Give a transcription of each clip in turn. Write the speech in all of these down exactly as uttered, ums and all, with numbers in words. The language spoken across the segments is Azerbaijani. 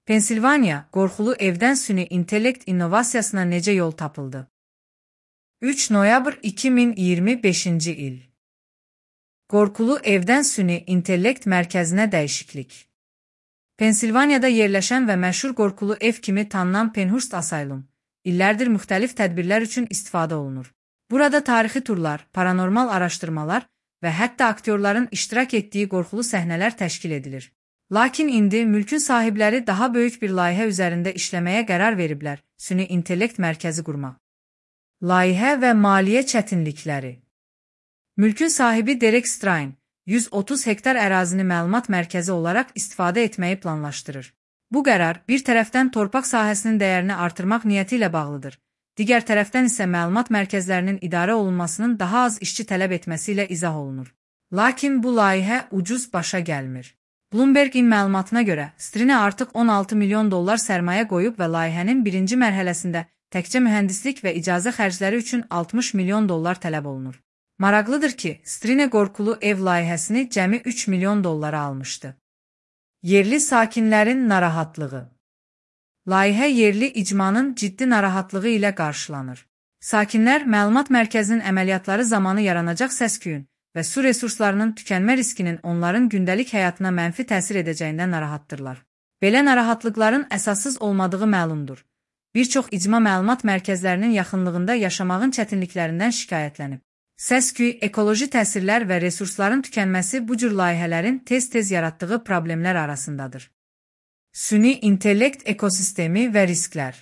Pensilvaniya, qorxulu evdən süni intellekt innovasiyasına necə yol tapıldı? üç noyabr iki min iyirmi beşinci il. Qorxulu evdən süni intellekt mərkəzinə dəyişiklik. Pensilvaniyada yerləşən və məşhur qorxulu ev kimi tanınan Penhurst Asylum, illərdir müxtəlif tədbirlər üçün istifadə olunur. Burada tarixi turlar, paranormal araşdırmalar və hətta aktyorların iştirak etdiyi qorxulu səhnələr təşkil edilir. Lakin indi mülkün sahibləri daha böyük bir layihə üzərində işləməyə qərar veriblər, süni intellekt mərkəzi qurmaq. Layihə və maliyyə çətinlikləri. Mülkün sahibi Derek Strain, yüz otuz hektar ərazini məlumat mərkəzi olaraq istifadə etməyi planlaşdırır. Bu qərar bir tərəfdən torpaq sahəsinin dəyərini artırmaq niyyəti ilə bağlıdır, digər tərəfdən isə məlumat mərkəzlərinin idarə olunmasının daha az işçi tələb etməsi ilə izah olunur. Lakin bu layihə ucuz başa gəlmir. Bloomberg'in məlumatına görə, Strinə artıq on altı milyon dollar sərmayə qoyub və layihənin birinci mərhələsində təkcə mühəndislik və icazə xərcləri üçün altmış milyon dollar tələb olunur. Maraqlıdır ki, Strinə qorxulu ev layihəsini cəmi üç milyon dollara almışdı. Yerli sakinlərin narahatlığı. Layihə yerli icmanın ciddi narahatlığı ilə qarşılanır. Sakinlər məlumat mərkəzinin əməliyyatları zamanı yaranacaq səs-küyün və su resurslarının tükənmə riskinin onların gündəlik həyatına mənfi təsir edəcəyindən narahatdırlar. Belə narahatlıqların əsassız olmadığı məlumdur. Bir çox icma məlumat mərkəzlərinin yaxınlığında yaşamağın çətinliklərindən şikayətlənib. Səs-küy, ekoloji təsirlər və resursların tükənməsi bu cür layihələrin tez-tez yaratdığı problemlər arasındadır. Süni intellekt ekosistemi və risklər.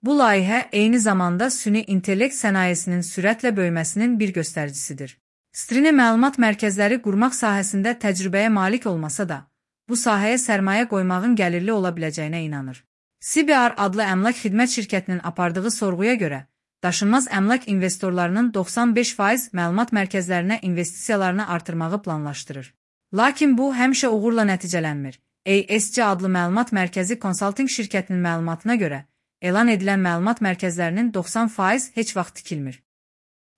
Bu layihə eyni zamanda süni intellekt sənayesinin sürətlə böyüməsinin bir göstəricisidir. Strinə məlumat mərkəzləri qurmaq sahəsində təcrübəyə malik olmasa da, bu sahəyə sərmayə qoymağın gəlirli ola biləcəyinə inanır. C B R adlı əmlak xidmət şirkətinin apardığı sorğuya görə, daşınmaz əmlak investorlarının doxsan beş faiz məlumat mərkəzlərinə investisiyalarını artırmağı planlaşdırır. Lakin bu həmişə uğurla nəticələnmir. A S C adlı məlumat mərkəzi konsalting şirkətinin məlumatına görə, elan edilən məlumat mərkəzlərinin doxsan faiz heç vaxt tikilmir.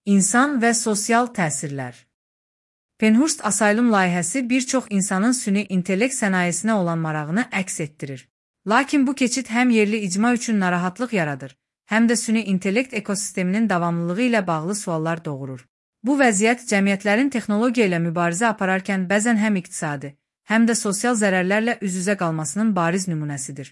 İnsan və sosial təsirlər. Penhurst Asylum layihəsi bir çox insanın süni intellekt sənayesinə olan marağını əks etdirir. Lakin bu keçid həm yerli icma üçün narahatlıq yaradır, həm də süni intellekt ekosisteminin davamlılığı ilə bağlı suallar doğurur. Bu vəziyyət cəmiyyətlərin texnologiya ilə mübarizə apararkən bəzən həm iqtisadi, həm də sosial zərərlərlə üz-üzə qalmasının bariz nümunəsidir.